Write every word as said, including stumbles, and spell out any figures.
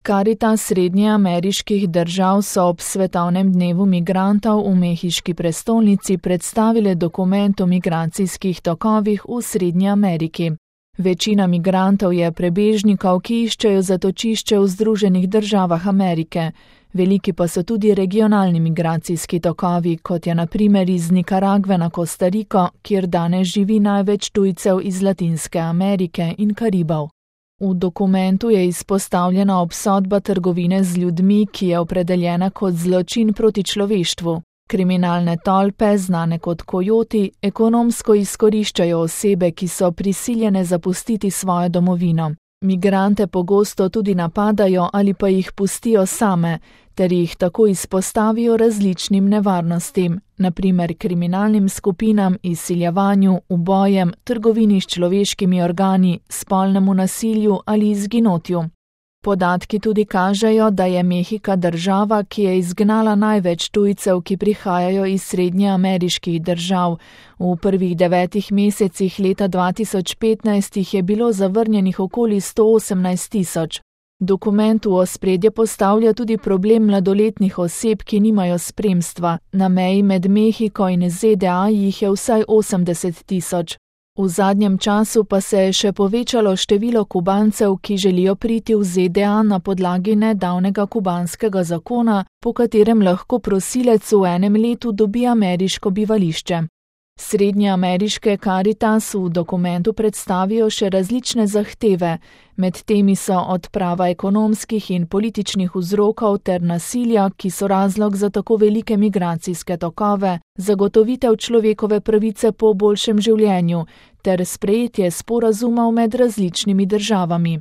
Karitas srednjeameriških držav so ob svetovnem dnevu migrantov v mehiški prestolnici predstavile dokument o migracijskih tokovih v Srednji Ameriki. Večina migrantov je prebežnikov, ki iščejo zatočišče v Združenih državah Amerike. Veliki pa so tudi regionalni migracijski tokovi, kot je na primer iz Nikaragve na Kostariko, kjer danes živi največ tujcev iz Latinske Amerike in Karibov. V dokumentu je izpostavljena obsodba trgovine z ljudmi, ki je opredeljena kot zločin proti človeštvu. Kriminalne tolpe, znane kot kojoti, ekonomsko izkoriščajo osebe, ki so prisiljene zapustiti svojo domovino. Migrante pogosto tudi napadajo ali pa jih pustijo same, ter jih tako izpostavijo različnim nevarnostim, na primer kriminalnim skupinam, izsiljevanju, ubojem, trgovini s človeškimi organi, spolnemu nasilju ali izginotju. Podatki tudi kažejo, da je Mehika država, ki je izgnala največ tujcev, ki prihajajo iz srednjeameriških držav. V prvih devetih mesecih leta dva tisoč petnajst jih je bilo zavrnjenih okoli sto osemnajst tisoč. Dokument v ospredje postavlja tudi problem mladoletnih oseb, ki nimajo spremstva. Na meji med Mehiko in Z D A jih je vsaj osemdeset tisoč. V zadnjem času pa se je še povečalo število Kubancev, ki želijo priti v Z D A na podlagi nedavnega kubanskega zakona, po katerem lahko prosilec v enem letu dobi ameriško bivališče. Srednjeameriške Karitas v dokumentu predstavijo še različne zahteve, med temi so odprava ekonomskih in političnih vzrokov ter nasilja, ki so razlog za tako velike migracijske tokove, zagotovitev človekove pravice po boljšem življenju ter sprejetje sporazumov med različnimi državami.